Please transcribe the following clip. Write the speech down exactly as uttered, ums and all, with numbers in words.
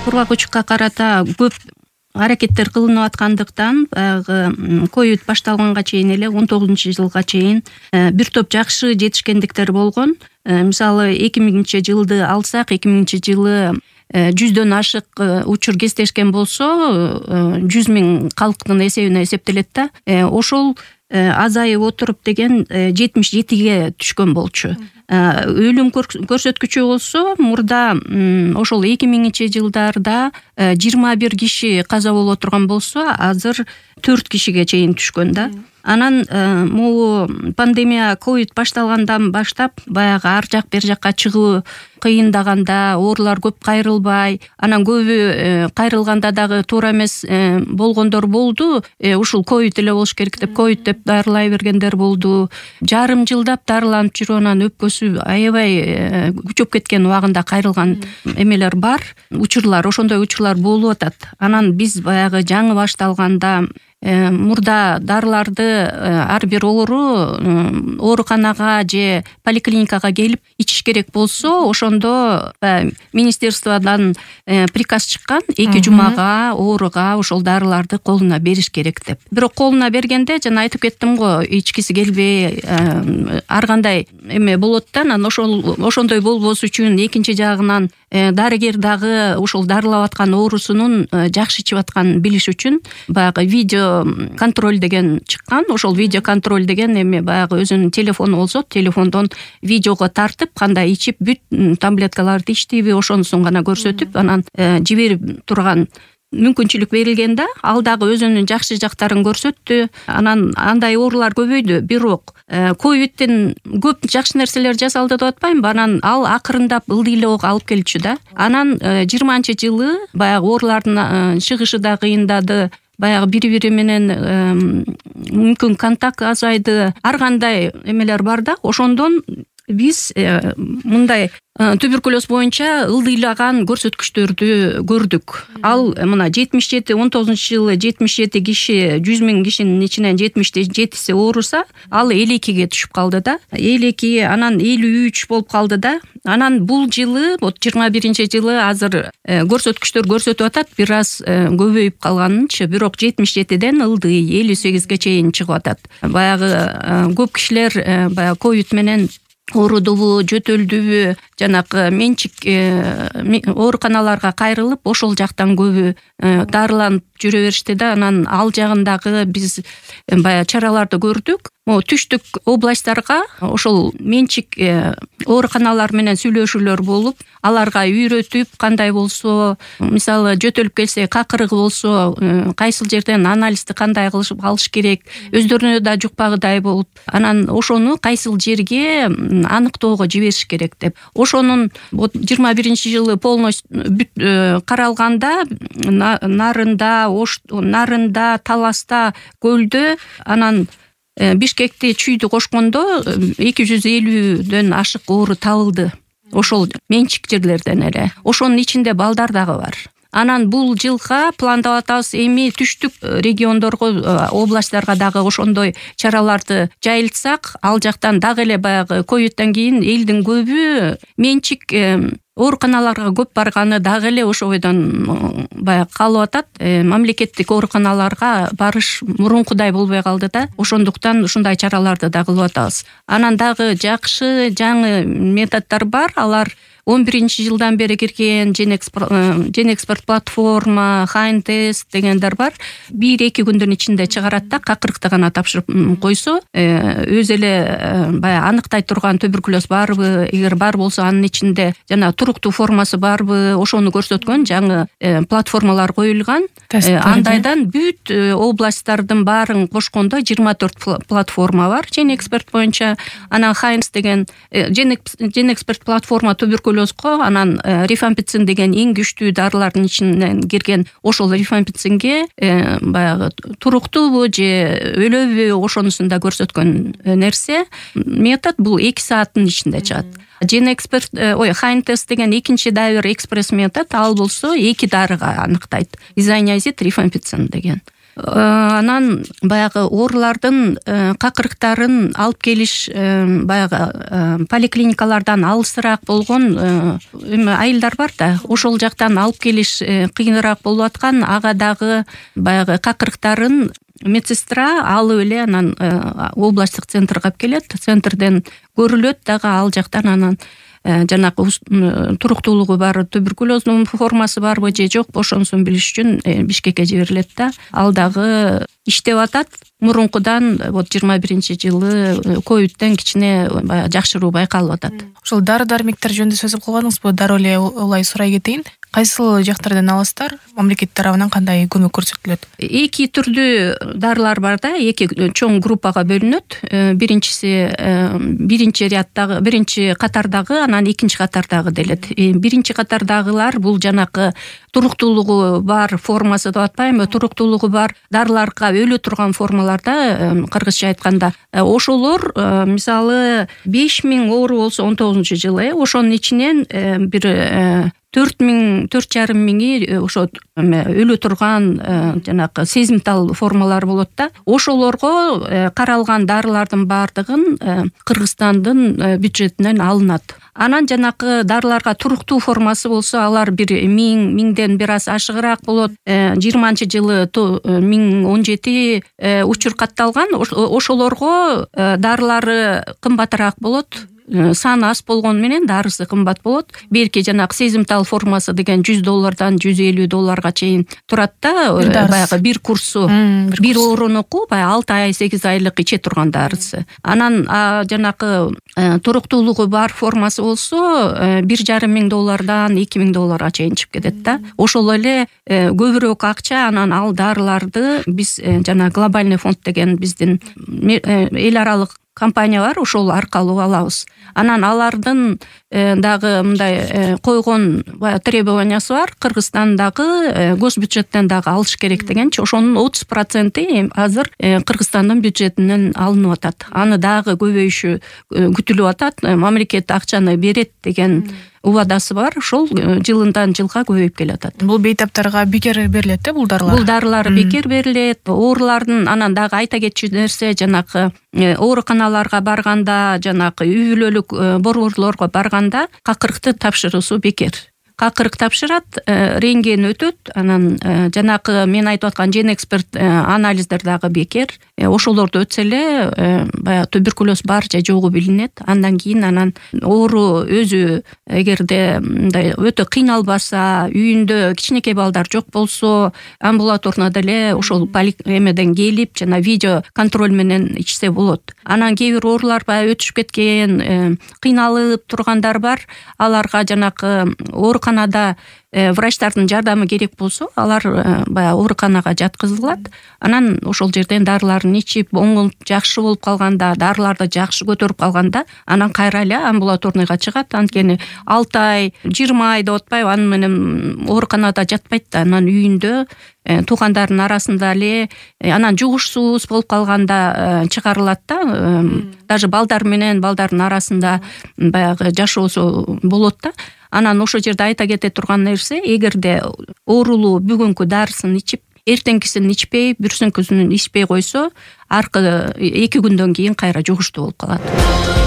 кургак учукка карата көп аракеттер кылынып аткандыктан баягы ковид башталганга чейин эле он тогузунчу жылга чейин бир топ жакшы жетишкендиктер болгон. Мисалы эки миңинчи жылды алсак, эки миңинчи жылы жүздөн ашык учур кестешкен болсо, жүз миң калктын эсебине эсептелет да. Ошол азайып отуруп деген жетимиш жетиге түшкөн болчу. Өлүм көрсөткүчү болсо, мурда ошол эки миңинчи жылдарда жыйырма бир киши каза болуп отурган болсо, азыр төрт кишиге чейин түшкөн да. Анан могу пандемия ковид башталгандан баштап баягы ар жак бер жакка чыгуу кыйындаганда, оорулар көп кайрылбай, анан көбү кайрылганда дагы туура эмес болгондор болду. Ушул ковид эле болуш керек деп ковид деп дарылай бергендер болду. Жарым жылдап дарыланып жүрүп, анан өпкөсү аябай күчөп кеткен убагында кайрылган эмелер бар. Учурлар, ошондой учурлар болуп атат. Анан биз баягы жаңы башталганда мурда дарыларды ар бир оору ооруканага же поликлиникага келип ичиш керек болсо, ошондо министерстводан приказ чыккан, эки жумага ооруга ошол дарыларды колуна бериш керек деп. Бирок колуна бергенде, жана айтып кеттим го, ичкиси келбей ар кандай эме болот да. Анан ошол ошондой болбош үчүн экинчи жагынан дарыгер дагы ошол дарылап аткан оорусунун жакшы ичип атканын билиш үчүн баягы видео контроль деген чыккан. Ошол видео контроль деген эме баягы өзүнүн телефону болсо, телефондон видеого тартып, кандай ичип, бүт таблеткаларды ичтиби, ошонусун гана көрсөтүп, анан жиберип турган мүмкүнчүлүк берилген да. Ал дагы өзүнүн жакшы жактарын көрсөттү. Анан андай оорулар көбөйдү. Бирок ковидтен көп жакшы нерселер жасалды деп атпаймынбы. Анан ал акырындап ылдыйлоого алып келчү да. Анан жыйырманчы жылы баягы оорулардын чыгышы да кыйындады. Баягы бири-бири менен мүмкүн контакт азайды. Ар кандай эмелер бар да. Ошондон биз мындай туберкулез боюнча ылдыйлаган көрсөткүчтөрдү көрдүк. Ал мына жетимиш жети, он тогузунчу жылы жетимиш жети киши, жүз миң кишинин ичинен жетимиш жетиси ооруса, ал элүү экиге түшүп калды да. элүү эки, анан элүү үч болуп калды да. Анан бул жылы, вот жыйырма биринчи жылы азыр көрсөткүчтөр көрсөтүп атат, бир аз көбөйүп калганынчы, бирок жетимиш жетиден ылдый элүү сегизге чейин чыгып атат. Баягы көп кишилер баягы ковид менен оорудубу, жөтөлдүбү, жанагы менчик ооруканаларга кайрылып, ошол жактан көбү дарыланып жүрө беришти да. Анан ал жагындагы биз баягы чараларды көрдүк. О, түштүк областтарга ошол менчик ооруканалар менен сүйлөшүүлөр болуп, аларга үйрөтүп, кандай болсо, мисалы жөтөлүп келсе, какырыгы болсо, кайсыл жерден анализди кандай кылышып алыш керек, өздөрүнө да жукпагыдай болуп, анан ошону кайсыл жерге аныктоого жибериш керек деп. Ошонун жыйырма биринчи жылы полностью каралганда, нарында, Ош нарында, Таласта, Көлдө, анан Бишкекте чүйдү кошкондо эки жүз элүүдөн ашык оору табылды. Ошол менчик жерлерден эле. Ошонун ичинде балдар дагы бар. Анан бул жылга пландап атабыз, эми түштүк региондорго, областтарга дагы ошондой чараларды жайылтсак, ал жактан дагы эле баягы ковидтен кийин элдин көбү менчик ооруканаларга көп барганы дагы эле ошо бойдон баягы калып атат. Мамлекеттик ооруканаларга барыш мурункудай болбой калды да. Ошондуктан ушундай чараларды да кылып атабыз. Анан дагы жакшы жаңы методдор бар. Алар он биринчи жылдан бери кирген Genexpert платформа, Хайнтест дегендер бар. бир эки күндүн ичинде чыгарат да, какырыкты гана тапшырып койсо, өз эле баягы аныктай турган туберкулез барбы, эгер бар болсо анын ичинде жана туруктуу формасы барбы, ошону көрсөткөн жаңы платформалар коюлган. Андайдан бүт областтардын баарын кошкондо жыйырма төрт платформа бар Genexpert боюнча. Анан Хайнс деген Genexpert платформа туберкулезго, анан рифампицин деген эң күчтүү дарылардын ичинен кирген, ошол рифампицинге баягы туруктуубу же өлөбү, ошонусун да көрсөткөн нерсе. Метод бул эки сааттын ичинде чыгат. Genexpert, ой, Хайнтест деген экинчи дайвер экспресс метод, ал болсо эки дарыга аныктайт. Изониазид, рифампицин деген. Анан баягы оорулардын какырыктарын алып келиш баягы поликлиникалардан алысыраак болгон эме айылдар бар да, ошол жактан алып келиш кыйыныраак болуп аткан, ага дагы баягы какырыктарын медсестра алып эле анан областтык центрге алып келет, центрден көрүлөт дагы, ал жактан анан жанагы туруктуулугу бар, туберкулездун формасы барбы же жокпу ошонусун билиш үчүн Бишкекке жиберилет да, ал дагы иштеп атат. Мурункудан вот жыйырма биринчи жылы ковидтен кичине жакшыруу байкалып атат. Ошол дары-дармектер жөнүндө сөз кылбадыңызбы? Дароо эле улай сурай кетейин. Кайсыл жактардан аласыздар? Мамлекет тарабынан кандай көмөк көрсөтүлөт? Эки түрдүү дарылар бар да, эки чоң группага бөлүнөт. Биринчиси биринчи ряддагы, биринчи катардагы, анан экинчи катардагы делет. Биринчи катардагылар бул жанакы туруктуулугу бар формасы деп атпаймынбы, туруктуулугу бар дарыларга өлө турган формаларда, кыргызча айтканда. Ошолор мисалы беш миң оору болсо он тогузунчу жылы, ошонун ичинен бир төрт миң, төрт жарым миңи ошо өлө турган жанагы сезимтал формалар болот да. Ошолорго каралган дарылардын баардыгын Кыргызстандын бюджетинен алынат. Анан жанакы дарыларга туруктуу формасы болсо, алар бир миң, миңден бир аз ашыгыраак болот. жыйырманчы жылы миң он жети учур катталган. Ошолорго дарылары кымбатыраак болот. Саны аз болгон менен дарысы кымбат болот. Белки жанагы сезимтал формасы деген жүз доллардан жүз элүү долларга чейин турат да, баягы бир курсу, бир оорунуку баягы алты ай, сегиз айлык иче турган дарысы. Анан жанакы туруктуулугу бар формасы болсо бир жарым миң доллардан эки миң долларга чейин чыгып кетет да. Ошол эле көбүрөөк акча анан ал дарыларды биз жана глобальный фонд деген биздин эл аралык компания бар, ошол аркылуу алабыз. Анан алардын дагы мындай койгон требованиясы бар. Кыргызстандагы госбюджеттен дагы алыш керек дегенчи, ошонун отуз проценти азыр Кыргызстандын бюджетинен алынып атат. Аны дагы көбөйүшү күтүлүп атат. Мамлекет акчаны берет деген убадасы бар. Ошол жылындан жылга көбөйүп келатат. Бул бейтаптарга бекер берилет да бул дарылар? Бул дарылар бекер берилет. Оорулардын анан дагы айта кетчү нерсе, жанакы ооруканаларга барганда, жанакы үй бүлөлүк борборлорго барганда какырыкты тапшыруусу бекер. Какырык тапшырат, рентген өтөт, анан жанакы мен айтып аткан ген эксперт анализдер дагы бекер. Ошолорду өтсө эле баягы туберкулез бар же жогу билинет. Андан кийин анан оору өзү эгерде мындай өтө кыйналбаса, үйүндө кичинекей балдар жок болсо, амбулаторно деле ошол эмеден келип, жана видео контроль менен ичсе болот. Анан кээ бир оорулар баягы өтүшүп кеткен, кыйналып тургандар бар. Аларга жанакы ооруканада врачтардын жардамы керек болсо, алар баягы ооруканага жаткызылат. Анан ошол жерден дарыларын ичип, оңолуп жакшы болуп калганда, дарыларды жакшы көтөрүп калганда, анан кайра эле амбулаторныйга чыгат. Анткени алты ай, жыйырма ай деп атпайбы, аны менен ооруканада жатпайт да. Анан үйүндө туугандардын арасында эле, анан жугушсуз болуп калганда чыгарылат да. Даже балдар менен балдардын арасында баягы жашоосу болот да. Анан ошол жерде айта кете турган нерсе, эгерде оорулуу бүгүнкү дарысын ичип, эртеңкисин ичпей, бүрсүнкүсүн ичпей койсо, аркы эки күндөн кийин кайра жугуштуу болуп калат.